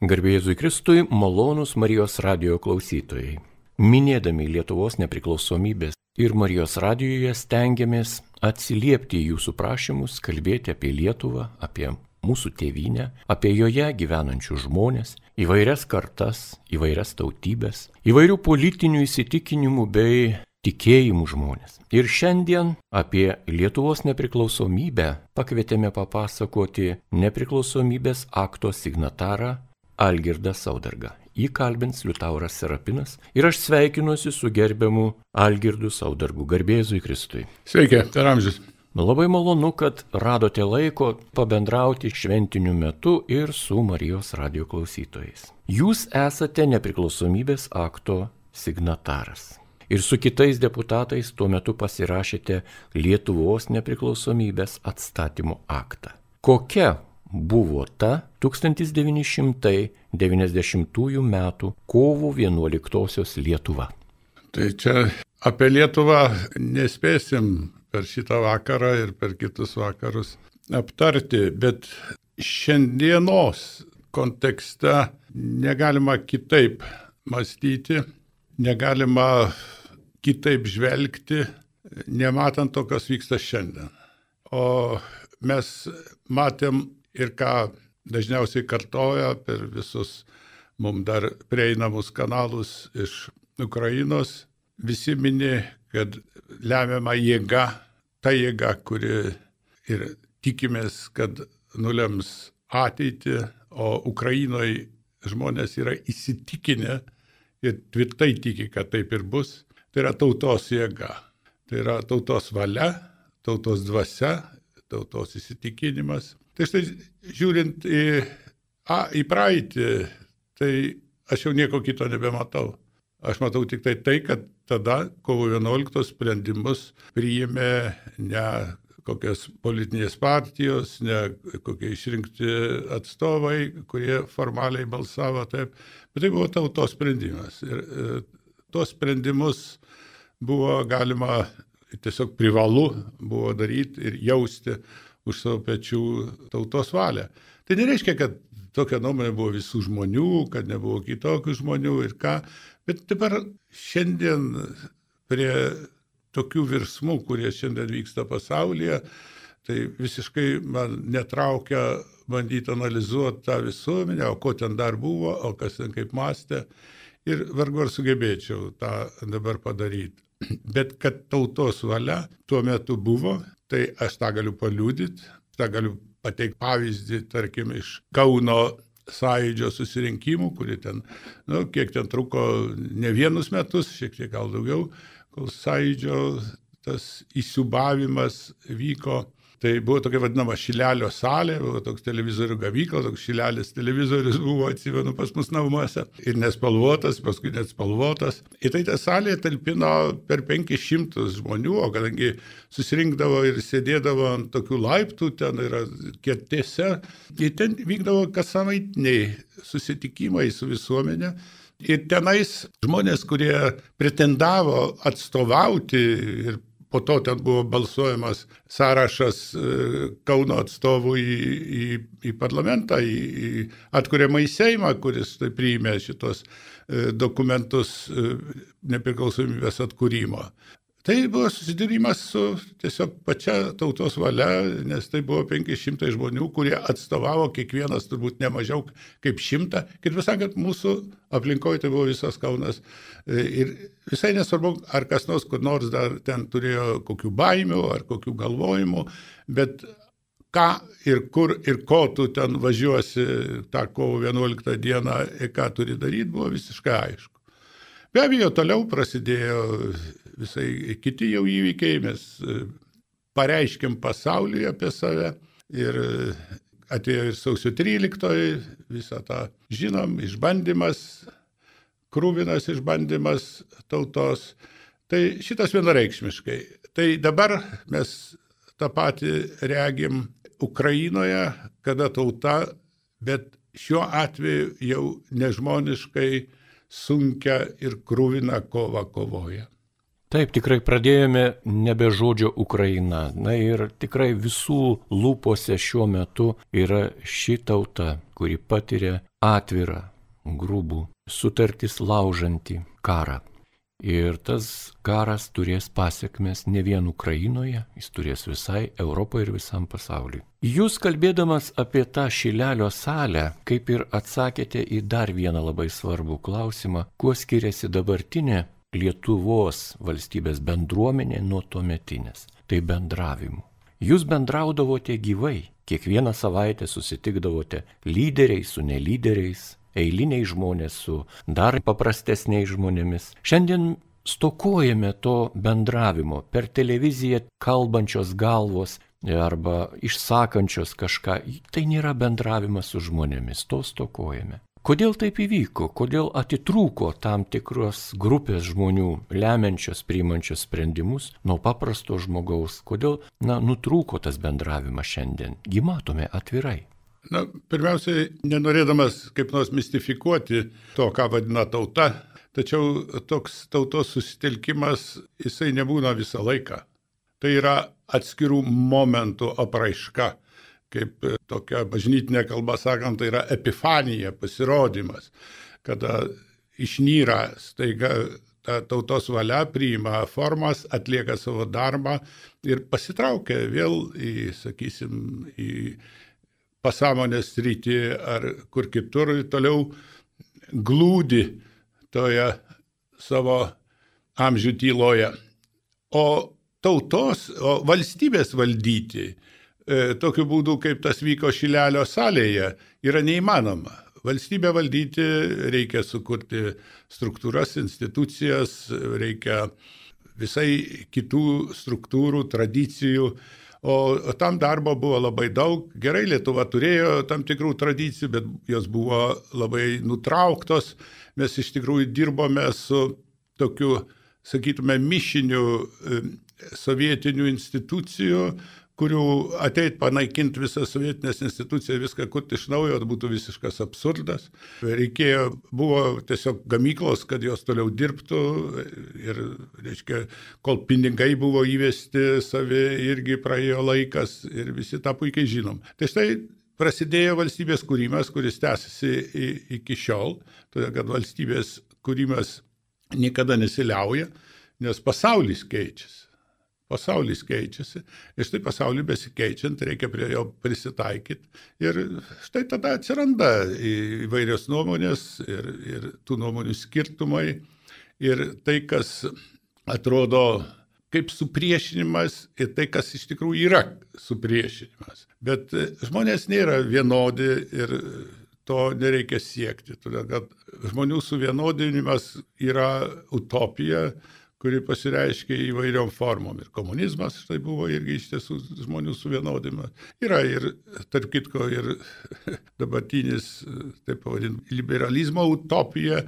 Garbė Jėzui Kristui, malonūs Marijos radijo klausytojai. Minėdami Lietuvos nepriklausomybės ir Marijos radijoje stengiamės atsiliepti į jūsų prašymus, kalbėti apie Lietuvą, apie mūsų tėvynę, apie joje gyvenančius žmonės, įvairias kartas, įvairias tautybės, įvairių politinių įsitikinimų bei tikėjimų žmonės. Ir šiandien apie Lietuvos nepriklausomybę pakvietėme papasakoti nepriklausomybės akto signatarą Algirdą Saudargą. Jį kalbins Liutauras Serapinas ir aš sveikinuosi su gerbiamu Algirdu Saudargu. Garbė Jėzui Kristui. Sveiki, per amžius. Labai malonu, kad radote laiko pabendrauti šventiniu metu ir su Marijos radijo klausytojais. Jūs esate nepriklausomybės akto signataras. Ir su kitais deputatais tuo metu pasirašėte Lietuvos nepriklausomybės atstatymo aktą. Kokia buvo ta 1990 metų kovo 11 Lietuva? Tai čia apie Lietuvą nespėsim per šitą vakarą ir per kitus vakarus aptarti, bet šiandienos kontekste negalima kitaip mąstyti, negalima kitaip žvelgti, nematant to, kas vyksta šiandien. O mes matėm ir ką dažniausiai kartoja per visus mums dar prieinamus kanalus iš Ukrainos, visi mini, kad lemiama jėga, ta jėga, kuri ir tikimės, kad nulems ateitį, o Ukrainoje žmonės yra įsitikinę ir tvirtai tiki, kad taip ir bus, tai yra tautos jėga, tai yra tautos valia, tautos dvasia, tautos įsitikinimas. Tai štai žiūrint į praeitį, tai aš jau nieko kito nebematau. Aš matau tik tai, kad tada kovo 11 sprendimus priėmė ne kokios politinės partijos, ne kokie išrinkti atstovai, kurie formaliai balsavo taip, bet tai buvo tautos sprendimas. Ir tuos sprendimus buvo galima tiesiog privalu buvo daryti ir jausti už savo pečių tautos valią. Tai nereiškia, kad tokia nuomonė buvo visų žmonių, kad nebuvo kitokių žmonių ir ką, bet dabar šiandien prie tokių virsmų, kurie šiandien vyksta pasaulyje, tai visiškai man netraukia bandyti analizuoti tą visuomenę, o ko ten dar buvo, o kas ten kaip mąstė, ir vargu ar sugebėčiau tą dabar padaryti. Bet kad tautos valia tuo metu buvo, tai aš tą galiu paliudyti, tą galiu pateikti pavyzdį, tarkim, iš Kauno sąjūdžio susirinkimų, kurie ten, kiek ten truko ne vienus metus, šiek tiek gal daugiau, kol sąjūdžio tas įsiūbavimas vyko. Tai buvo tokia vadinama Šilelio salė, buvo toks televizorių gavykla, toks Šilelis televizorius buvo, atsimenu, pas mus namuose. Ir nespalvotas, paskui net spalvotas. Ir tai ta salė talpino per 500 žmonių, o kadangi susirinkdavo ir sėdėdavo ant tokių laiptų, ten yra kėtėse, ir ten vykdavo kassavaitiniai susitikimai su visuomenė. Ir tenais žmonės, kurie pretendavo atstovauti ir po to ten buvo balsuojamas sąrašas Kauno atstovų į parlamentą, į atkuriamą į Seimą, kuris tai priėmė šitos dokumentus nepriklausomybės atkūrimo. Tai buvo susidūrimas su tiesiog pačia tautos valia, nes tai buvo 500 žmonių, kurie atstovavo kiekvienas turbūt ne mažiau kaip 100. Kaip jūs sakėt, mūsų aplinkoje tai buvo visas Kaunas. Ir visai nesvarbu, ar kas nors kur nors dar ten turėjo kokių baimių ar kokių galvojimų, bet ką ir kur ir ko tu ten važiuosi tą kovo 11 dieną ir ką turi daryti, buvo visiškai aišku. Be abejo, toliau prasidėjo visai kiti jau įvykiai, mes pareiškėm pasauliui apie save ir atėjo ir sausio 13, visą tą žinom, išbandymas, kruvinas išbandymas tautos. Tai šitas vienareikšmiškai. Tai dabar mes tą patį regim Ukrainoje, kada tauta, bet šiuo atveju jau nežmoniškai sunkia ir kruvina kova kovoja. Taip, tikrai pradėjome nebe žodžio Ukraina. Na ir tikrai visų lūpose šiuo metu yra ši tauta, kuri patiria atvirą, grubų, sutartis laužantį karą. Ir tas karas turės pasiekmes ne vien Ukrainoje, jis turės visai Europoje ir visam pasauliui. Jūs kalbėdamas apie tą Šilelio salę, kaip ir atsakėte į dar vieną labai svarbų klausimą, kuo skiriasi dabartinė Lietuvos valstybės bendruomenė nuo tuometinės. Tai bendravimu. Jūs bendraudavote gyvai, kiekvieną savaitę susitikdavote lyderiai su nelyderiais, eiliniai žmonės su dar paprastesniais žmonėmis. Šiandien stokojame to bendravimo per televiziją kalbančios galvos arba išsakančios kažką. Tai nėra bendravimas su žmonėmis, to stokojame. Kodėl taip įvyko? Kodėl atitrūko tam tikros grupės žmonių, lemiančios, priimančios sprendimus nuo paprasto žmogaus? Kodėl, nutrūko tas bendravimas šiandien? Gi matome atvirai. Pirmiausiai, nenorėdamas kaip nors mistifikuoti to, ką vadina tauta, tačiau toks tautos susitelkimas, jisai nebūna visą laiką. Tai yra atskirų momentų apraiška. Kaip tokia bažnytinė kalba sakant, tai yra epifanija, pasirodymas, kada išnyra staiga ta tautos valia, priima formas, atlieka savo darbą ir pasitraukia vėl į pasąmonės sritį ar kur kitur, toliau glūdi toje savo amžių tyloje. O valstybės valdyti tokiu būdu, kaip tas vyko Šilelio salėje, yra neįmanoma. Valstybę valdyti reikia sukurti struktūras, institucijas, reikia visai kitų struktūrų, tradicijų, o tam darbo buvo labai daug. Gerai, Lietuva turėjo tam tikrų tradicijų, bet jos buvo labai nutrauktos. Mes iš tikrųjų dirbome su tokiu, sakytume, mišiniu sovietinių institucijų, kurių ateit panaikinti visą sovietinės instituciją, viską kurti iš naujo, būtų visiškas absurdas. Buvo tiesiog gamyklos, kad jos toliau dirbtų ir, reiškia, kol pinigai buvo įvesti savi, irgi praėjo laikas ir visi tą puikiai žinom. Tai štai prasidėjo valstybės kūrimas, kuris tęsiasi iki šiol, todėl kad valstybės kūrimas niekada nesiliauja, nes pasaulis keičiasi. Pasaulis keičiasi ir štai pasauliui besikeičiant reikia prie jo prisitaikyti ir štai tada atsiranda įvairios nuomonės ir tų nuomonių skirtumai ir tai, kas atrodo kaip supriešinimas ir tai, kas iš tikrųjų yra supriešinimas. Bet žmonės nėra vienodi ir to nereikia siekti, todėl kad žmonių suvienodinimas yra utopija, kuri pasireiškia įvairiom formom. Ir komunizmas, štai buvo irgi iš tiesų žmonių suvienodimas. Yra ir, tarp kitko, ir dabartinis, taip pavadinti, liberalizmo utopija,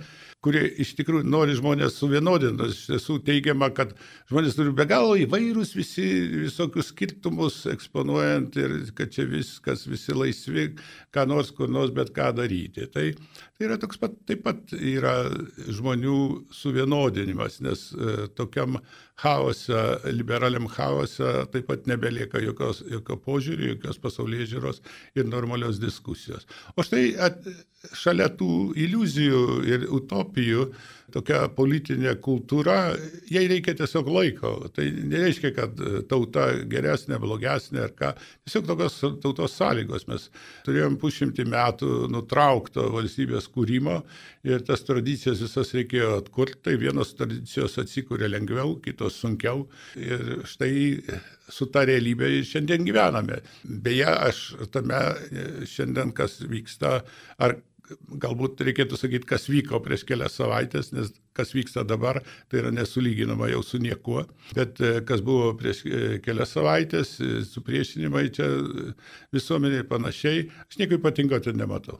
kuri iš tikrųjų nori žmonės suvienodinti. Iš tiesų teigiama, kad žmonės turi be galo įvairūs visokius skirtumus eksponuojant ir kad čia viskas, visi laisvi, ką nors, kur nors, bet ką daryti. Tai yra toks pat, taip pat yra žmonių suvienodinimas, nes tokiam chaose, liberaliam chaose taip pat nebelieka jokio požiūrio, jokios pasaulėžiūros ir normalios diskusijos. O štai šalia tų iliuzijų ir utopijų, tokia politinė kultūra, jai reikia tiesiog laiko. Tai nereiškia, kad tauta geresnė, blogesnė ar ką. Tiesiog tokios tautos sąlygos. Mes turėjom 100 metų nutraukto valstybės kūrimo ir tas tradicijas visas reikėjo atkurti. Tai vienos tradicijos atsikūrė lengviau, kitos sunkiau. Ir štai su ta realybė šiandien gyvename. Beje, aš tame šiandien, kas vyksta, ar galbūt reikėtų sakyti, kas vyko prieš kelias savaitės, nes kas vyksta dabar, tai yra nesulyginama jau su niekuo. Bet kas buvo prieš kelias savaitės, supriešinimai čia visuomeniai panašiai, aš nieko ypatingo ten nematau.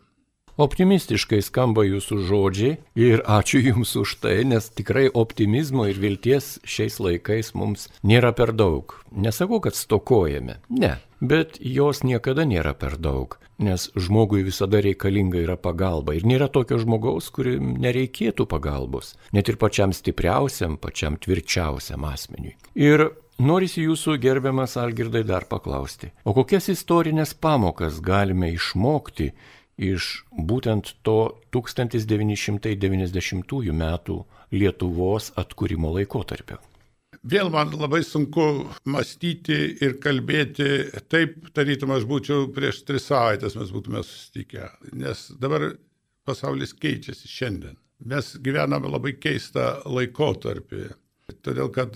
Optimistiškai skamba jūsų žodžiai ir ačiū Jums už tai, nes tikrai optimizmo ir vilties šiais laikais mums nėra per daug. Nesakau, kad stokojame, ne, bet jos niekada nėra per daug. nes žmogui visada reikalinga yra pagalba. Ir nėra tokio žmogaus, kuri nereikėtų pagalbos, net ir pačiam stipriausiam, pačiam tvirčiausiam asmeniui. Ir norisi jūsų, gerbiamas Algirdai, dar paklausti, o kokias istorinės pamokas galime išmokti iš būtent to 1990 metų Lietuvos atkūrimo laikotarpio? Vėl man labai sunku mąstyti ir kalbėti taip, tarytum aš būčiau prieš 3 savaitės mes būtume susitikę, nes dabar pasaulis keičiasi šiandien. Mes gyvename labai keistą laikotarpį, todėl kad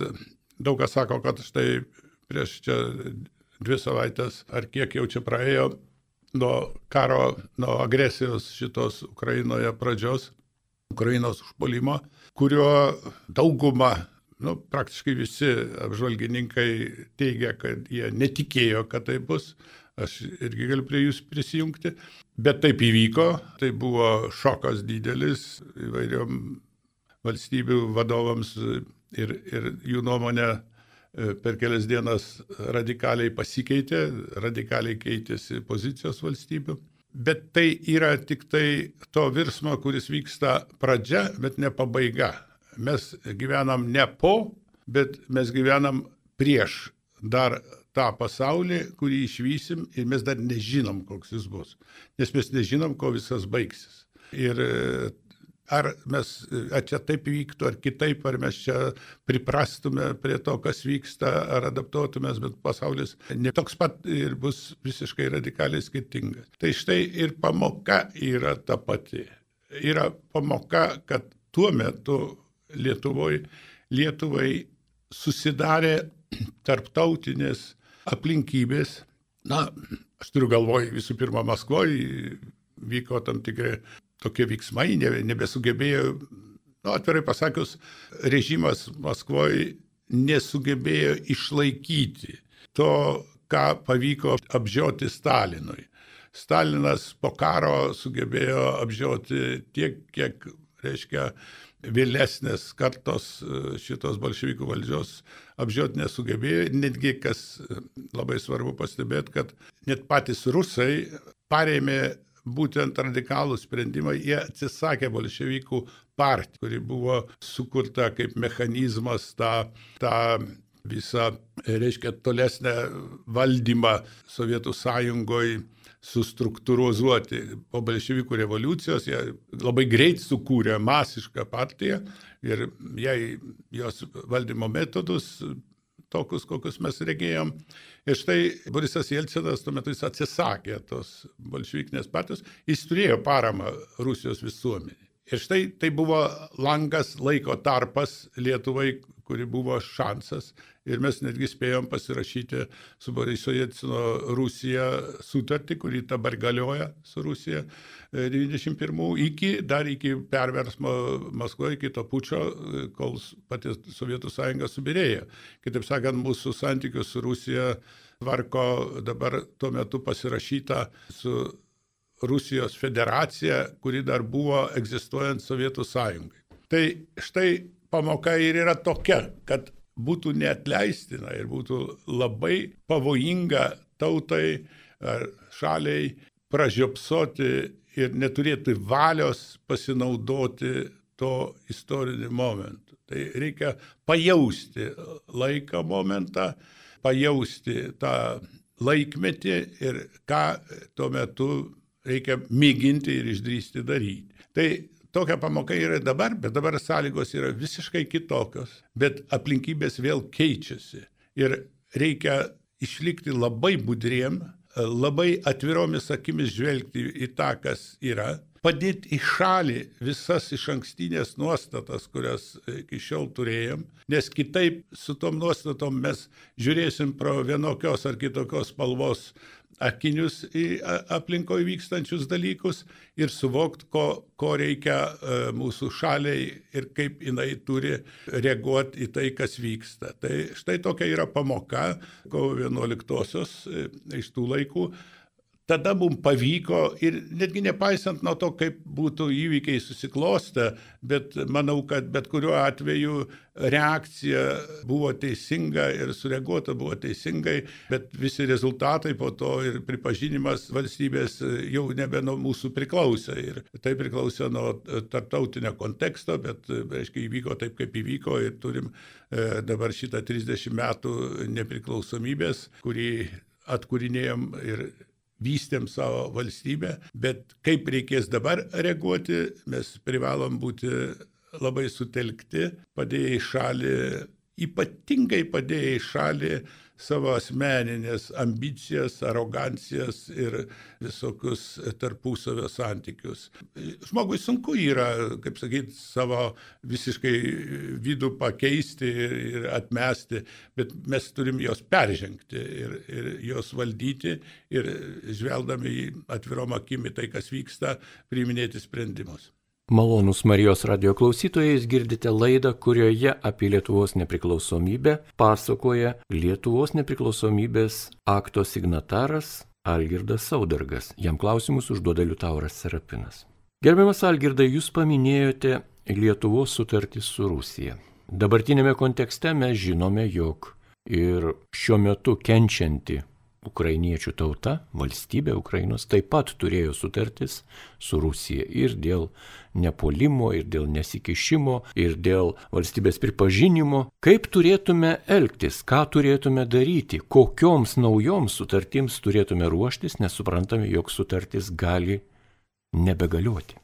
daug kas sako, kad štai prieš čia 2 savaitės ar kiek jau čia praėjo nuo karo, nuo agresijos šitos Ukrainoje pradžios, Ukrainos užpuolimo, kurio dauguma, praktiškai visi apžvalgininkai teigia, kad jie netikėjo, kad tai bus. Aš irgi galiu prie jūs prisijungti. Bet taip įvyko. Tai buvo šokas didelis įvairiom valstybių vadovams ir jų nuomonė per kelias dienas radikaliai pasikeitė, radikaliai keitėsi pozicijos valstybių. Bet tai yra tik tai to virsmo, kuris vyksta pradžia, bet ne pabaiga. Mes gyvenam ne po, bet mes gyvenam prieš dar tą pasaulį, kurį išvysim ir mes dar nežinom, koks jis bus. Nes mes nežinom, ko visas baigsis. Ir ar čia taip vyktų, ar kitaip, ar mes čia priprastume prie to, kas vyksta, ar adaptuotumės, bet pasaulis ne toks pat ir bus visiškai radikaliai skirtingas. Tai štai ir pamoka yra ta pati. Yra pamoka, kad tuo metu Lietuvai susidarė tarptautinės aplinkybės. Aš turiu galvoj, visų pirma, Maskvoje vyko tam tikri tokie veiksmai, nebesugebėjo, atvirai pasakius, režimas Maskvoje nesugebėjo išlaikyti to, ką pavyko apžioti Stalinui. Stalinas po karo sugebėjo apžioti tiek, kiek, reiškia, vėlesnės kartos šitos bolševikų valdžios apžioti nesugebėjo. Netgi, kas labai svarbu pastebėti, kad net patys rusai parėmė būtent radikalų sprendimą, jie atsisakė bolševikų partiją, kuri buvo sukurta kaip mechanizmas tą visą, reiškia, tolesnę valdymą Sovietų Sąjungoje sustruktūrizuoti. Po bolševikų revoliucijos jie labai greit sukūrė masišką partiją ir jos valdymo metodus tokius, kokius mes regėjom. Ir štai Borisas Jelcinas tuo metu jis atsisakė tos bolševikinės partijos, jis turėjo paramą Rusijos visuomenį. Ir štai tai buvo langas, laiko tarpas Lietuvai, kuri buvo šansas. Ir mes netgi spėjom pasirašyti su Boriso Jelcino Rusija sutartį, kuri dabar galioja su Rusija 91 dar iki perversmo Maskvoje, iki to pučio, kol pati Sovietų Sąjunga subyrėjo. Kitaip sakant, mūsų santykius su Rusija tvarko dabar tuo metu pasirašyta su Rusijos federacija, kuri dar buvo egzistuojant Sovietų Sąjungai. Tai štai pamoka ir yra tokia, kad būtų neatleistina ir būtų labai pavojinga tautai ar šaliai pražiopsoti ir neturėti valios pasinaudoti to istoriniu momentu. Tai reikia pajausti laiką momentą, pajausti tą laikmetį ir ką tuo metu reikia mėginti ir išdrįsti daryti. Tai tokia pamoka yra dabar, bet dabar sąlygos yra visiškai kitokios, bet aplinkybės vėl keičiasi. Ir reikia išlikti labai budriem, labai atviromis akimis žvelgti į tą, kas yra, padėti į šalį visas išankstinės nuostatas, kurias iki šiol turėjom, nes kitaip su tom nuostatom mes žiūrėsim pro vienokios ar kitokios spalvos akinius į aplinkoje vykstančius dalykus ir suvokti, ko reikia mūsų šaliai ir kaip jinai turi reaguoti į tai, kas vyksta. Tai štai tokia yra pamoka kovo 11-osios iš tų laikų. tada mums pavyko ir netgi nepaisant nuo to, kaip būtų įvykiai susiklostę, bet manau, kad bet kuriuo atveju reakcija buvo teisinga ir sureaguota buvo teisingai, bet visi rezultatai po to ir pripažinimas valstybės jau nebe nuo mūsų priklausė. Ir tai priklausė nuo tarptautinio konteksto, bet, reiškia, įvyko taip, kaip įvyko ir turim dabar šitą 30 metų nepriklausomybės, kurį atkūrinėjom ir vystėm savo valstybę, bet kaip reikės dabar reaguoti, mes privalom būti labai sutelkti, padėję į šalį, ypatingai padėję į šalį savo asmeninės ambicijas, arogancijas ir visokius tarpusavio santykius. Žmogui sunku yra, kaip sakyti, savo visiškai vidų pakeisti ir atmesti, bet mes turim jos peržengti ir jos valdyti ir žvelgdami į atvirom akimi tai, kas vyksta, priiminėti sprendimus. Malonūs Marijos radijo klausytojai, girdite laidą, kurioje apie Lietuvos nepriklausomybę pasakoja Lietuvos nepriklausomybės akto signataras Algirdas Saudargas. Jam klausimus užduoda Liutauras Serapinas. Gerbiamas Algirdai, jūs paminėjote Lietuvos sutartį su Rusija. Dabartinėme kontekste mes žinome, jog ir šiuo metu kenčianti ukrainiečių tauta, valstybė Ukrainos, taip pat turėjo sutartis su Rusija ir dėl nepuolimo, ir dėl nesikišimo, ir dėl valstybės pripažinimo. Kaip turėtume elgtis, ką turėtume daryti, kokioms naujoms sutartims turėtume ruoštis, nes suprantame, jog sutartis gali nebegalioti.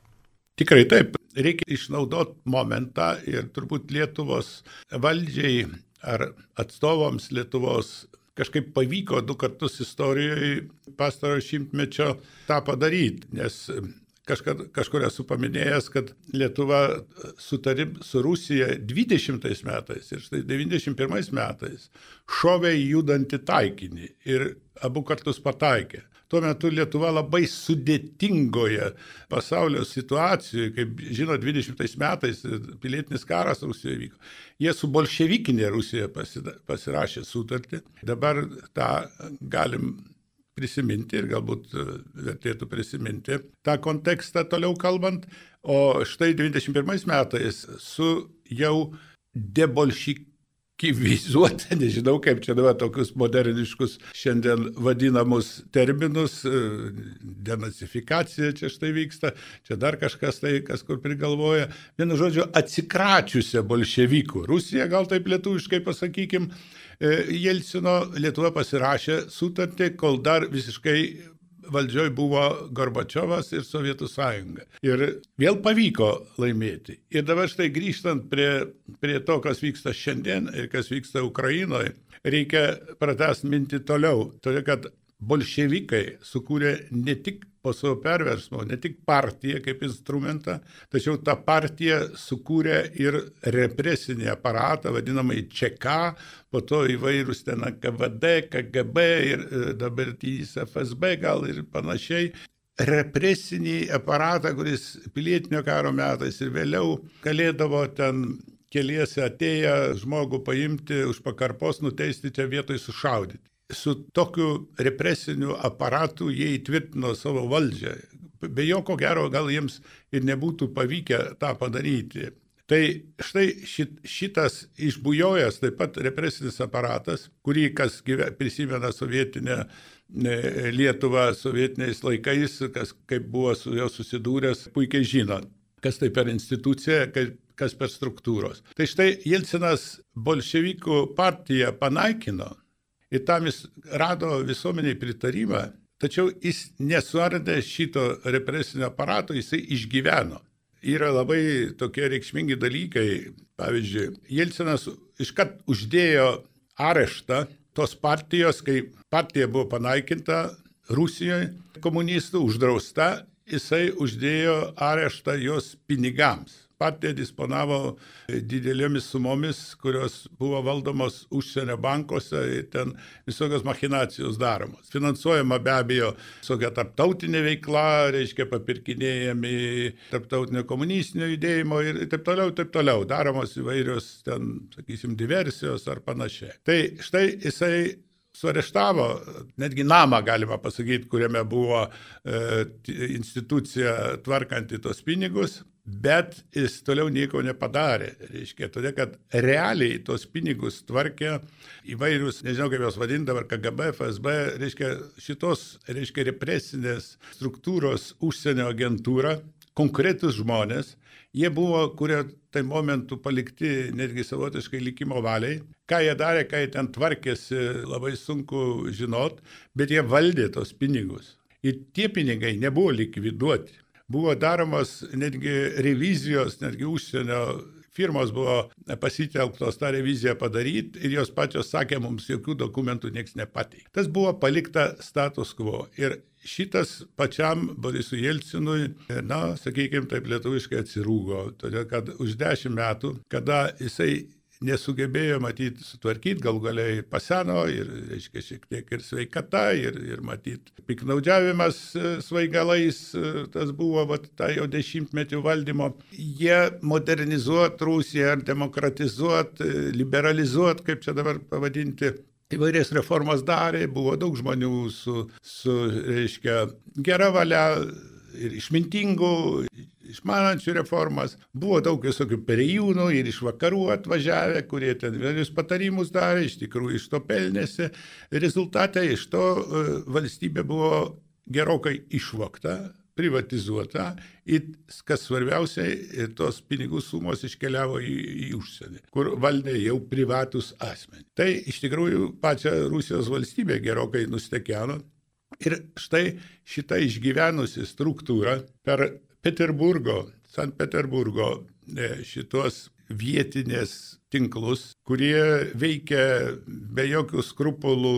Tikrai taip, reikia išnaudoti momentą ir turbūt Lietuvos valdžiai ar atstovams Lietuvos kažkaip pavyko 2 kartus istorijoje pastarojo šimtmečio tą padaryti, nes kažkur esu paminėjęs, kad Lietuva sutarė su Rusija 20 metais ir štai 91 metais šovė į judantį taikinį ir abu kartus pataikė. Tuo metu Lietuva labai sudėtingoje pasaulio situacijoje, kaip žino, 20 metais pilietinis karas Rusijoje vyko. Jie su bolševikinė Rusija pasirašė sutartį. Dabar tą galim prisiminti ir galbūt vertėtų prisiminti tą kontekstą toliau kalbant. O štai 21 metais su jau debolševizuota, nežinau kaip čia dabar tokius moderniškus šiandien vadinamus terminus, denacifikacija čia štai vyksta, čia dar kažkas tai, kas kur prigalvoja. Vienu žodžiu, atsikračiusią bolševikų. Rusija, gal taip lietuviškai pasakykim, Jelcino Lietuva pasirašė sutartį, kol dar visiškai valdžioj buvo Gorbačiovas ir Sovietų sąjunga. Ir vėl pavyko laimėti. Ir dabar štai grįžtant prie to, kas vyksta šiandien ir kas vyksta Ukrainoje, reikia pratęsti mintį toliau. Todėl, kad bolševikai sukūrė ne tik po savo perversmo, ne tik partiją kaip instrumentą, tačiau tą partiją sukūrė ir represinį aparatą, vadinamai ČK, po to įvairūs ten KVD, KGB ir dabartinis FSB gal ir panašiai. Represinį aparatą, kuris pilietinio karo metais ir vėliau galėdavo ten keliese atėję žmogų paimti už pakarpos, nuteisti čia vietoj sušaudyti. Su tokiu represiniu aparatu jie įtvirtino savo valdžią. Be jo, ko gero, gal jiems ir nebūtų pavykę tą padaryti. Tai štai šitas išbujojęs taip pat represinis aparatas, kurį kas prisimena sovietinę Lietuvą sovietiniais laikais, kas kaip buvo su jo susidūręs, puikiai žino, kas tai per institucija, kas per struktūros. Tai štai Jelcinas bolševikų partiją panaikino. Ir tam jis rado visuomeniai pritarimą, tačiau jis nesuardė šito represinio aparato, jisai išgyveno. Yra labai tokie reikšmingi dalykai. Pavyzdžiui, Jelcinas iškart uždėjo areštą tos partijos, kai partija buvo panaikinta Rusijoje, komunistų uždrausta, jisai uždėjo areštą jos pinigams. Partija disponavo didelėmis sumomis, kurios buvo valdomos užsienio bankuose ir ten visokios machinacijos daromos. Finansuojama be abejo visokia tarptautinė veikla, reiškia papirkinėjami tarptautinio komunistinio judėjimo ir taip toliau. Daromos įvairios ten, sakysim, diversijos ar panašiai. Tai štai jisai suareštavo, netgi namą galima pasakyti, kuriame buvo institucija tvarkanti tos pinigus, bet jis toliau nieko nepadarė. Reiškia, todėl, kad realiai tos pinigus tvarkė įvairius, nežinau kaip jos vadindavo, KGB, FSB, reiškia, šitos, reiškia, represinės struktūros užsienio agentūra, konkretus žmonės, jie buvo, kurie tai momentu palikti netgi savotiškai likimo valiai. Ką jie darė, ką jie ten tvarkėsi, labai sunku žinot, bet jie valdė tos pinigus. Ir tie pinigai nebuvo likviduoti. Buvo daromas netgi revizijos, netgi užsienio firmos buvo pasitelktos tą reviziją padaryti ir jos pačios sakė, mums jokių dokumentų nieks nepateikė. Tas buvo palikta status quo. Ir šitas pačiam Borisui Jelcinui, sakykime taip lietuviškai atsirūgo, todėl kad už 10 metų, kada jisai nesugebėjo matyti sutvarkyti, gal galiai paseno ir, reiškia, šiek tiek ir sveikata, ir matyti piknaudžiavimas svaigalais, tas buvo tą jau 10-metį valdymo. Jie modernizuot Rusiją, demokratizuot, liberalizuot, kaip čia dabar pavadinti, įvairias reformas darė, buvo daug žmonių su reiškia, gera valia ir išmintingų, išmanančių reformas. Buvo daug visokių perėjūnų ir iš vakarų atvažiavę, kurie ten įvairius patarimus darė, iš tikrųjų iš to pelnėsi. Rezultatai iš to valstybė buvo gerokai išvogta, privatizuota ir, kas svarbiausiai, tos pinigų sumos iškeliavo į užsienį, kur valdė jau privatus asmenys. Tai iš tikrųjų pačią Rusijos valstybę gerokai nustekeno. Ir štai šita išgyvenusi struktūra per Sankt Peterburgo šitos vietinės tinklus, kurie veikia be jokių skrupulų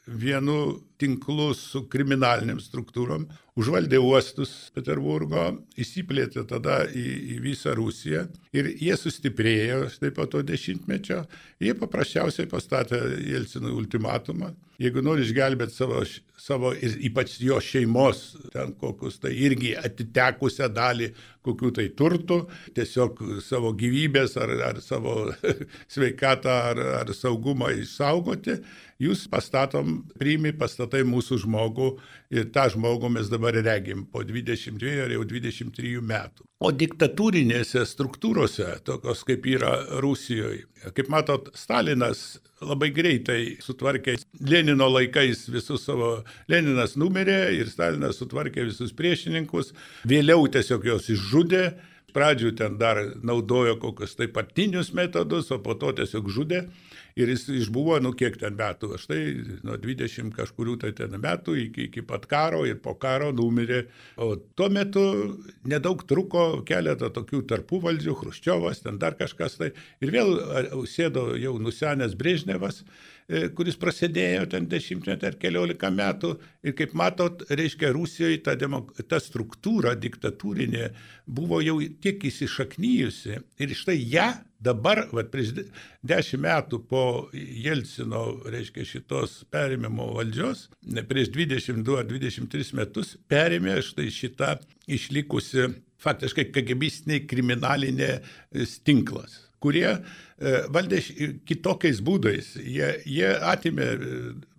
vienu tinklu su kriminalinėm struktūrom, užvaldė uostus Peterburgo, įsiplėtė tada į visą Rusiją ir jie sustiprėjo štai po to 10-mečio. Jie paprasčiausiai pastatė Jelcinui ultimatumą. Jeigu nori išgelbėti savo ir ypač jo šeimos, ten kokius tai irgi atitekusią dalį kokių tai turtų, tiesiog savo gyvybės ar savo sveikatą ar saugumą išsaugoti, jūs pastatai mūsų žmogų ir tą žmogų mes dabar regim po 22 ar jau 23 metų. O diktatūrinėse struktūrose, tokios kaip yra Rusijoje, kaip matot, Stalinas labai greitai sutvarkė Lenino laikais visus savo, Leninas numirė ir Stalinas sutvarkė visus priešininkus, vėliau tiesiog jos išžudė, pradžių ten dar naudojo kokius tai partinius metodus, o po to tiesiog žudė. Ir jis išbuvo, kiek ten metų, štai nuo 20 kažkurių tai ten metų iki pat karo ir po karo numirė. O tuo metu nedaug truko keletą tokių tarpuvaldžių, Chruščiovas, ten dar kažkas tai. Ir vėl sėdo jau nusenęs Brežnevas, kuris prasidėjo ten 10 ar 14 metų. Ir kaip matot, reiškia, Rusijoje ta struktūra diktatūrinė buvo jau tiek įsišaknyjusi. Ir štai ją dabar, prieš 10 metų po Jelcino, reiškia, šitos perėmimo valdžios, prieš 22 ar 23 metus perėmė štai šitą išlikusi faktiškai KGBistinė kriminalinė tinklas, kurie valdė kitokiais būdais. Jie atimė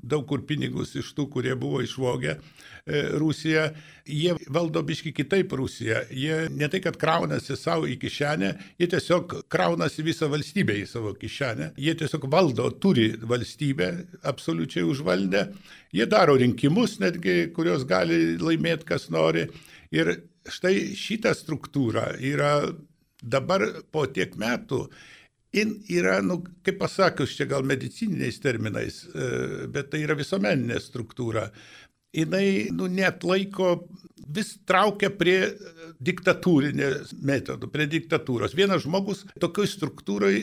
daug kur pinigus iš tų, kurie buvo išvogę Rusiją. Jie valdo biški kitaip Rusiją. Jie ne tai, kad kraunasi savo į kišenę, jie tiesiog kraunasi visą valstybę į savo kišenę. Jie tiesiog valdo, turi valstybę, absoliučiai užvaldę. Jie daro rinkimus netgi, kurios gali laimėti kas nori. Ir štai šita struktūra yra dabar po tiek metų, yra, kaip pasakius, čia gal medicininiais terminais, bet tai yra visuomeninė struktūra. Jinai neatlaiko, vis traukia prie diktatūrinės metodų, prie diktatūros. Vienas žmogus tokioj struktūrai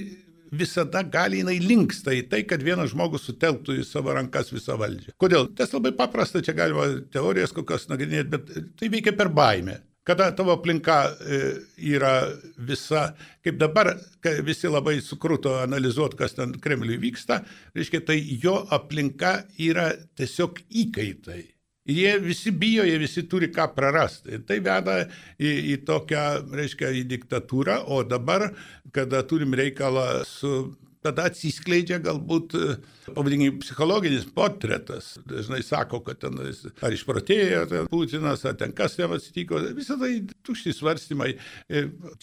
visada gali, jinai linksta į tai, kad vienas žmogus sutelktų į savo rankas visą valdžią. Kodėl? Tas labai paprasta, čia galima teorijas kokios nagrinėti, bet tai veikia per baimę. Kada tavo aplinka yra visa, kaip dabar, kai visi labai sukruto analizuoti, kas ten Kremliui vyksta, reiškia, tai jo aplinka yra tiesiog įkaitai. Jie visi bijo, jie visi turi ką prarasti. Tai veda į tokią, reiškia, į diktatūrą, o dabar, kada turim reikalą su tada atsiskleidžia galbūt, pavadinkime, psichologinis portretas. Dažnai sako, kad ten ar išprotėjo Putinas, ar ten kas jam atsitiko. Visą tai tušti svarstymai.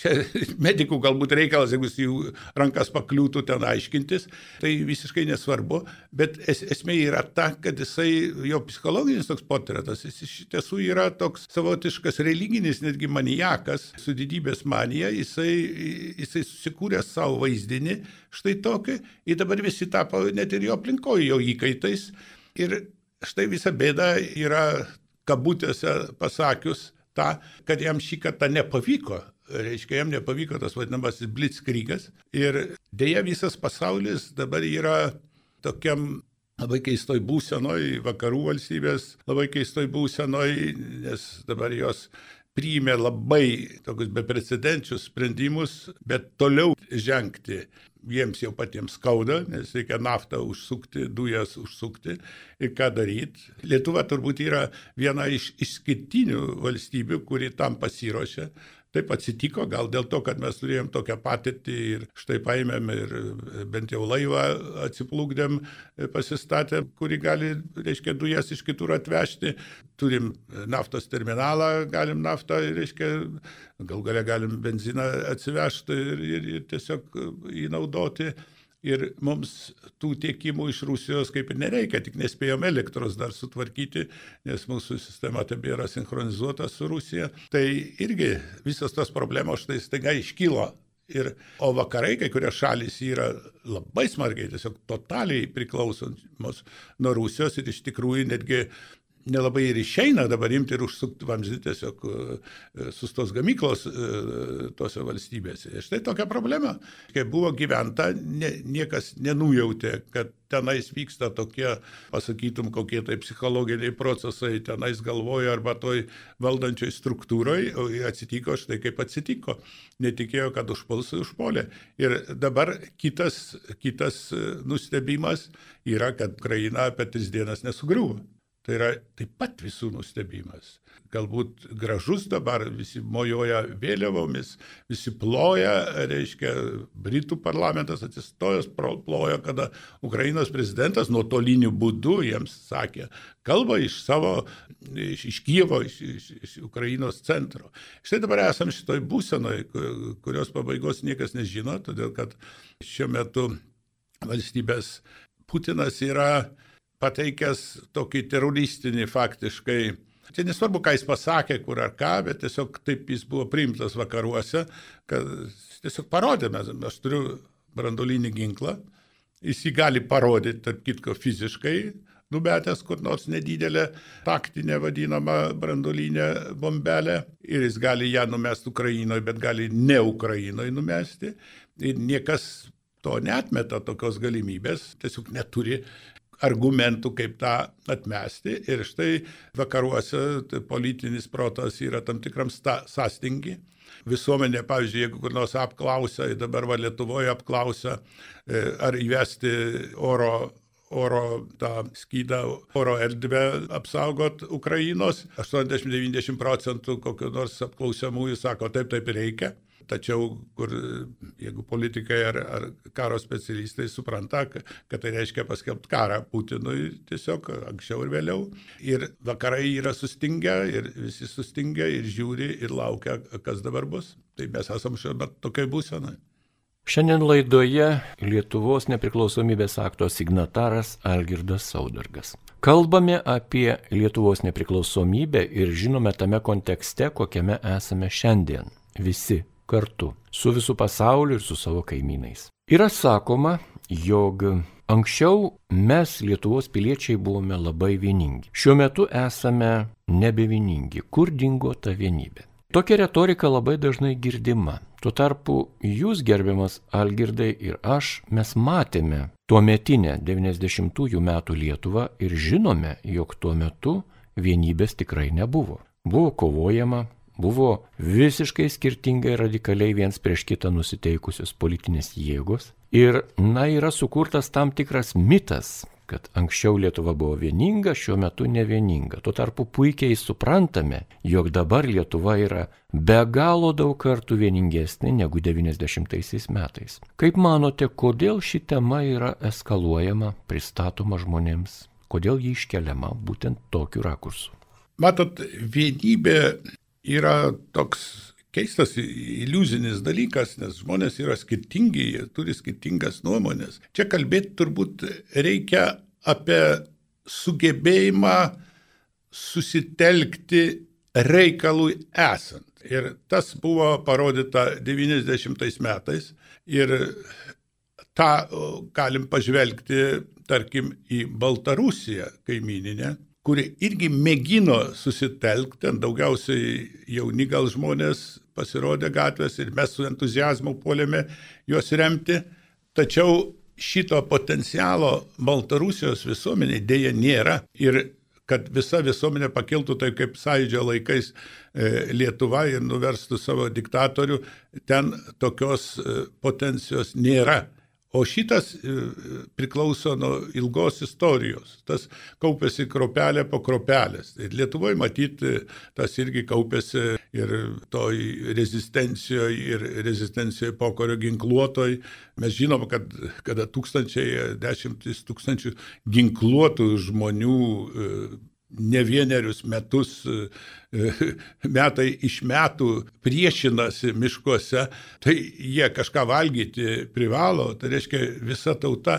Čia medikų galbūt reikalas, jeigu jų rankas pakliūtų ten aiškintis, tai visiškai nesvarbu. Bet esmė yra ta, kad jo psichologinis toks portretas, jis iš tiesų yra toks savotiškas religinis, netgi maniakas su didybės manija. Jisai susikūrė savo vaizdinį štai tokį, ir dabar visi tapo net ir jo aplinkoje, jo įkaitais. Ir štai visa bėda yra, kabutėse pasakius, ta, kad jam šį kartą nepavyko. Reiškia, jam nepavyko tas vadinamasis blitzkrygas. Ir dėja visas pasaulis dabar yra tokiam labai keistoj būsenoj, vakarų valstybės labai keistoj būsenoj, nes dabar jos priėmė labai tokius beprecedenčius sprendimus, bet toliau žengti jiems jau patiems skauda, nes reikia naftą užsukti, dujas užsukti ir ką daryti. Lietuva turbūt yra viena iš išskirtinių valstybių, kuri tam pasiruošė. Taip atsitiko, gal dėl to, kad mes turėjom tokią patirtį ir štai paėmėm ir bent jau laivą atsiplukdėm, pasistatėm, kuri gali, reiškia, dujas iš kitur atvežti. Turim naftos terminalą, galim naftą, reiškia, gal galia galim benziną atsivežti ir tiesiog įnaudoti. Ir mums tų tiekimų iš Rusijos kaip ir nereikia, tik nespėjom elektros dar sutvarkyti, nes mūsų sistema tebėra sinchronizuota su Rusija. Tai irgi visas tos problemos štai staiga iškilo. O vakarai, kai kurios šalys yra labai smarkiai, tiesiog totaliai priklausomos nuo Rusijos ir iš tikrųjų netgi nelabai ir išeina dabar imti ir užsukti vamzdį tiesiog sustos gamyklos tose valstybėse. Ir štai tokia problema. Kai buvo gyventa, niekas nenujautė, kad tenais vyksta tokie, pasakytum, kokie tai psichologiniai procesai tenais galvoja arba toj valdančioj struktūroj, o atsitiko štai kaip atsitiko. Netikėjo, kad užpuolė. Ir dabar kitas nustebimas yra, kad Ukraina apie 3 dienas nesugriuvo. Tai yra taip pat visų nustebimas. Galbūt gražus dabar, visi mojuoja vėliavomis, visi ploja, reiškia, Britų parlamentas atsistojęs ploja, kada Ukrainos prezidentas nuotoliniu būdu jiems sakė, kalba iš Kijevo, iš Ukrainos centro. Štai dabar esam šitoj būsenoj, kurios pabaigos niekas nežino, todėl kad šiuo metu valstybės Putinas yra pateikęs tokį teroristinį faktiškai. Čia nesvarbu, ką jis pasakė, kur ar ką, bet tiesiog taip jis buvo priimtas vakaruose, kad tiesiog parodėme, aš turiu branduolinį ginklą, jis jį gali parodyti, tarp kitko, fiziškai, numetęs kur nors nedidelę taktinę vadinamą branduolinę bombelę ir jis gali ją numesti Ukrainoje, bet gali ne Ukrainoje numesti ir niekas to neatmeta tokios galimybės, tiesiog neturi argumentų, kaip tą atmesti. Ir štai vakaruose politinis protas yra tam tikram sąstingi. Visuomenė, pavyzdžiui, jeigu kur nors apklausia, dabar Lietuvoje apklausia, ar įvesti oro tą skydą, oro erdvę apsaugot Ukrainos. 80-90% kokio nors apklausiamųjų sako, taip reikia. Tačiau, jeigu politikai ar karo specialistai supranta, kad tai reiškia paskelbti karą Putinui tiesiog anksčiau ir vėliau. Ir vakarai yra sustingę, ir visi sustingę, ir žiūri, ir laukia, kas dabar bus. Tai mes esam šiuo metu tokiai būsenai. Šiandien laidoje Lietuvos nepriklausomybės akto signataras Algirdas Saudargas. Kalbame apie Lietuvos nepriklausomybę ir žinome tame kontekste, kokiame esame šiandien. Visi kartu, su visų pasauliu ir su savo kaimynais. Yra sakoma, jog anksčiau mes, Lietuvos piliečiai, buvome labai vieningi. Šiuo metu esame nebevieningi. Kur dingo ta vienybė? Tokia retorika labai dažnai girdima. Tuo tarpu jūs, gerbiamas Algirdai, ir aš, mes matėme tuometinę 90-ųjų metų Lietuvą ir žinome, jog tuo metu vienybės tikrai nebuvo. Buvo kovojama, buvo visiškai skirtingai radikaliai viens prieš kitą nusiteikusios politinės jėgos ir, yra sukurtas tam tikras mitas, kad anksčiau Lietuva buvo vieninga, šiuo metu nevieninga. Tuo tarpu puikiai suprantame, jog dabar Lietuva yra be galo daug kartų vieningesnė negu 90 metais. Kaip manote, kodėl ši tema yra eskaluojama, pristatoma žmonėms? Kodėl ji iškeliama būtent tokiu rakursu? Matot, vienybė yra toks keistas iliuzinis dalykas, nes žmonės yra skirtingi, jie turi skirtingas nuomonės. Čia kalbėti turbūt reikia apie sugebėjimą susitelkti reikalui esant. Ir tas buvo parodyta 90 metais ir tą galim pažvelgti, tarkim, į Baltarusiją kaimyninę, kuri irgi mėgino susitelkti, ten daugiausiai jauni gal žmonės pasirodė gatvės ir mes su entuziazmu puolėme juos remti, tačiau šito potencialo Baltarusijos visuomenė dėja nėra ir kad visa visuomenė pakiltų taip kaip Sąjūdžio laikais Lietuva ir nuverstų savo diktatorių, ten tokios potencijos nėra. O šitas priklauso nuo ilgos istorijos. Tas kaupėsi kropelė po kropelės. Ir Lietuvoje matyti tas irgi kaupėsi ir toj rezistencijoje, ir rezistencijoje pokario ginkluotoj. Mes žinom, kad kada dešimtis tūkstančių ginkluotų žmonių ne vienerius metus, metai iš metų priešinasi miškuose, tai jie kažką valgyti privalo, tai reiškia visa tauta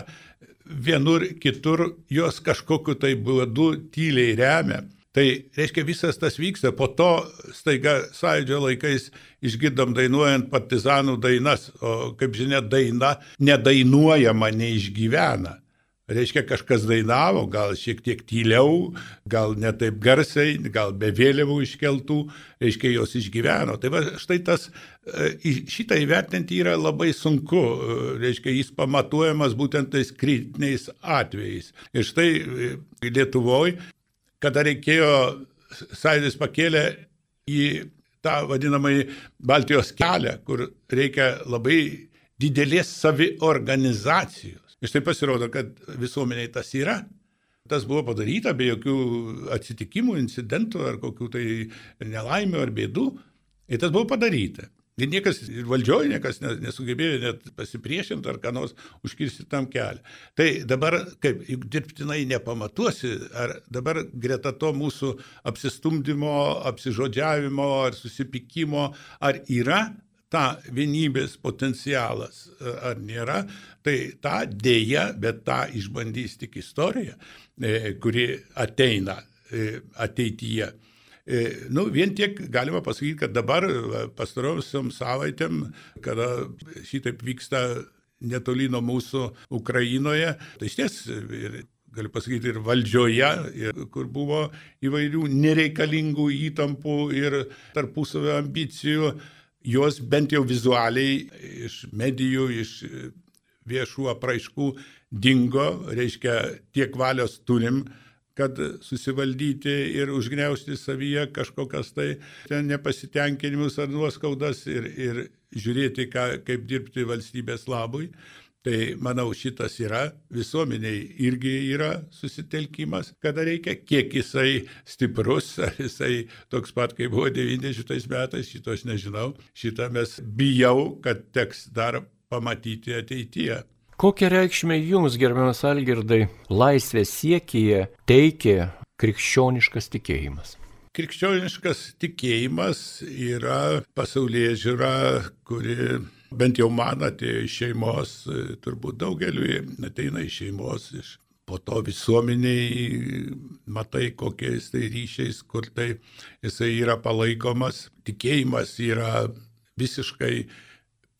vienur kitur jos kažkokiu tai būdu tyliai remia. Tai reiškia visas tas vyksta, po to staiga Sąjūdžio laikais išgirdom dainuojant partizanų dainas, o kaip žinia daina nedainuojama neišgyvena. Reiškia, kažkas dainavo, gal šiek tiek tyliau, gal ne taip garsiai, gal be vėliavų iškeltų, reiškia, jos išgyveno. Tai va, štai tas, šitą įvertinti yra labai sunku, reiškia, jis pamatuojamas būtent tais kritiniais atvejais. Ir štai Lietuvoje, kada reikėjo, Sąjūdis pakėlė į tą vadinamąjį Baltijos kelią, kur reikia labai didelės saviorganizacijos. Ir štai pasirodo, kad visuomeniai tas yra. Tas buvo padaryta be jokių atsitikimų, incidentų ar kokių tai nelaimių ar bėdų. Ir tas buvo padaryta. Ir niekas, ir valdžioje niekas nesugebėjo net pasipriešinti ar ką nors užkirsti tam kelią. Tai dabar, kaip juk dirbtinai nepamatuosi, ar dabar greta to mūsų apsistumdymo, apsižodžiavimo ar susipykimo, ar yra ta vienybės potencialas ar nėra, tai tą dėja, bet tą išbandys tik istorija, kuri ateina ateityje. Vien tiek galima pasakyti, kad dabar pastarosiom savaitėm, kada šitaip vyksta netoli nuo mūsų Ukrainoje, tai išties ir galiu pasakyti ir valdžioje, kur buvo įvairių nereikalingų įtampų ir tarpusavio ambicijų, jos bent jau vizualiai iš medijų, iš viešų apraiškų dingo, reiškia tiek valios turim, kad susivaldyti ir užgniaužti savyje kažkokias tai nepasitenkinimus ar nuoskaudas ir žiūrėti, kaip dirbti valstybės labui. Tai, manau, šitas yra, visuomeniai irgi yra susitelkimas, kada reikia, kiek jisai stiprus, ar jisai toks pat, kaip buvo 90 metais, šito aš nežinau, šitą mes bijau, kad teks dar pamatyti ateityje. Kokią reikšmę jums, gerbiamas Algirdai, laisvės siekyje teikia krikščioniškas tikėjimas? Krikščioniškas tikėjimas yra pasaulėžiūra, kuri bent jau man atėjo iš šeimos, turbūt daugeliui ateina iš šeimos, po to visuomeniai matai kokiais tai ryšiais, kur tai jisai yra palaikomas. Tikėjimas yra visiškai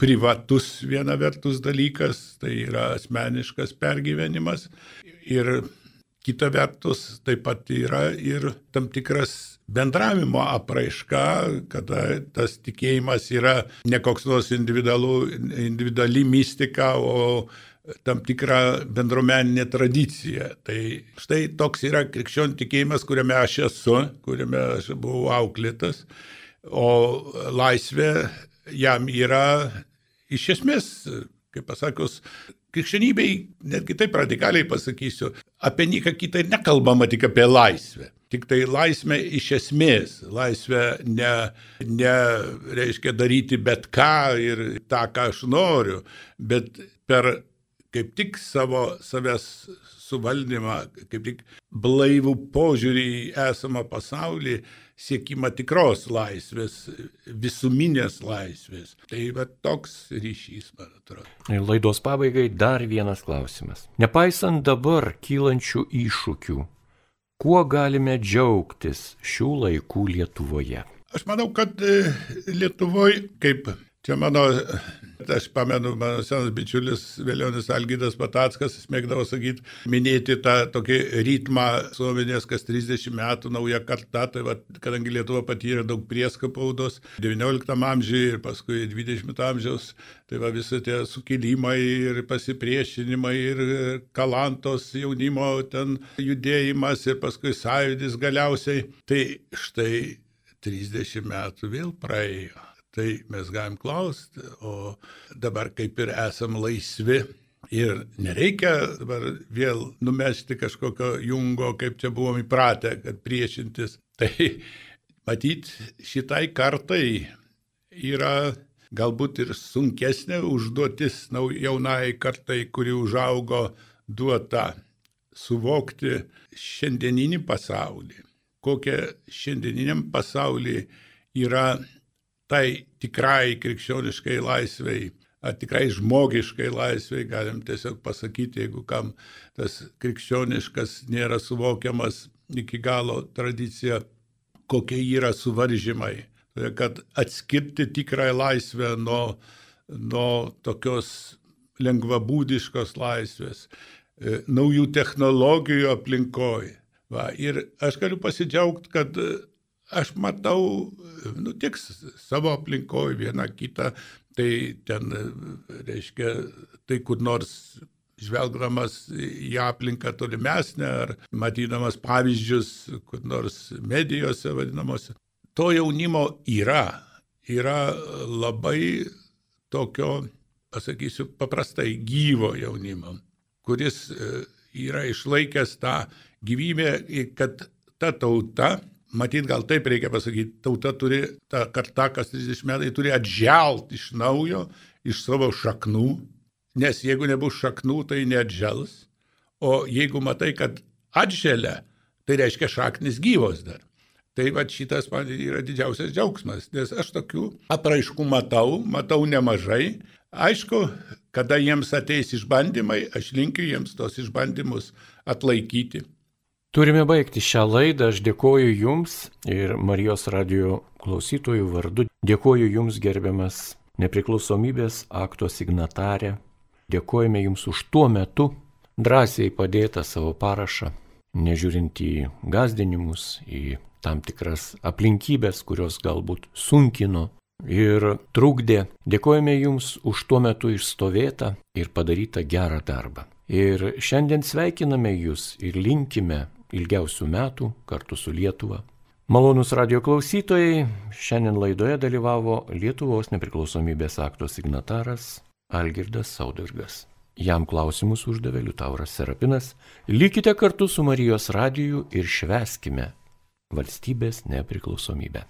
privatus viena vertus dalykas, tai yra asmeniškas pergyvenimas ir kita vertus taip pat yra ir tam tikras bendravimo apraiška, kada tas tikėjimas yra ne koks nors individuali mistika, o tam tikra bendruomeninė tradicija. Tai štai toks yra krikščionių tikėjimas, kuriame aš esu, kuriame aš buvau auklėtas, o laisvė jam yra iš esmės, kaip pasakius, krikščionybei, netgi taip radikaliai pasakysiu, apie nieką kitą ir nekalbama, tik apie laisvę. Tik tai laisvę iš esmės. Laisvę ne reiškia daryti bet ką ir tą, ką aš noriu, bet per kaip tik savęs suvaldymą, kaip tik blaivų požiūrį į esamą pasaulį, siekimą tikros laisvės, visuminės laisvės. Tai va toks ryšys, man atrodo. Laidos pabaigai dar vienas klausimas. Nepaisant dabar kylančių iššūkių, kuo galime džiaugtis šių laikų Lietuvoje? Aš manau, kad Lietuvoje, kaip čia aš pamenu, mano senas bičiulis Velionis Algydas Patackas, jis mėgdavo sakyti, minėti tą tokį ritmą visuomenės, kas 30 metų nauja karta, tai va, kadangi Lietuva patyrė daug prieskapaudos 19 amžiuje ir paskui 20 amžiaus, tai va visi tie sukilimai ir pasipriešinimai ir Kalantos jaunimo ten judėjimas ir paskui sąjūdis galiausiai, tai štai 30 metų vėl praėjo. Tai mes galim klausti, o dabar kaip ir esam laisvi ir nereikia dabar vėl numesti kažkokio jungo, kaip čia buvom įpratę, kad priešintis. Tai matyt, šitai kartai yra galbūt ir sunkesnė užduotis jaunai kartai, kuri užaugo, duota suvokti šiandieninį pasaulį. Kokia šiandieniniam pasaulyje yra tai tikrai krikščioniškai laisvei, ar tikrai žmogiškai laisvei, galim tiesiog pasakyti, jeigu kam tas krikščioniškas nėra suvokiamas iki galo tradicija, kokie yra suvaržymai. Kad atskirti tikrąją laisvę nuo tokios lengvabūdiškos laisvės, naujų technologijų aplinkoje. Ir aš galiu pasidžiaugti, kad aš matau, tik savo aplinkoje vieną kitą, tai ten, reiškia, tai kur nors žvelgdamas į aplinką tolimesnę ar matydamas pavyzdžius, kur nors medijose vadinamose. To jaunimo yra labai tokio, pasakysiu, paprastai gyvo jaunimo, kuris yra išlaikęs tą gyvybę, kad ta tauta, matyt, gal taip reikia pasakyti, tauta turi, ta karta, kas 30 metai, turi atželt iš naujo, iš savo šaknų, nes jeigu nebus šaknų, tai neatžels, o jeigu matai, kad atželia, tai reiškia šaknis gyvos dar. Tai va šitas man yra didžiausias džiaugsmas, nes aš tokių apraiškų matau nemažai. Aišku, kada jiems ateis išbandymai, aš linkiu jiems tos išbandymus atlaikyti. Turime baigti šią laidą. Aš dėkoju Jums ir Marijos radijo klausytojų vardu. Dėkoju Jums, gerbiamas nepriklausomybės akto signatarė. Dėkojame Jums už tuo metu drąsiai padėtą savo parašą, nežiūrint į gąsdinimus, į tam tikras aplinkybės, kurios galbūt sunkino ir trukdė. Dėkojame Jums už tuo metu išstovėtą ir padarytą gerą darbą. Ir šiandien sveikiname Jūs ir linkime ilgiausių metų kartu su Lietuva. Malonūs radijo klausytojai, šiandien laidoje dalyvavo Lietuvos nepriklausomybės akto signataras Algirdas Saudargas. Jam klausimus uždavė Liutauras Serapinas. Likite kartu su Marijos radiju ir švęskime valstybės nepriklausomybę.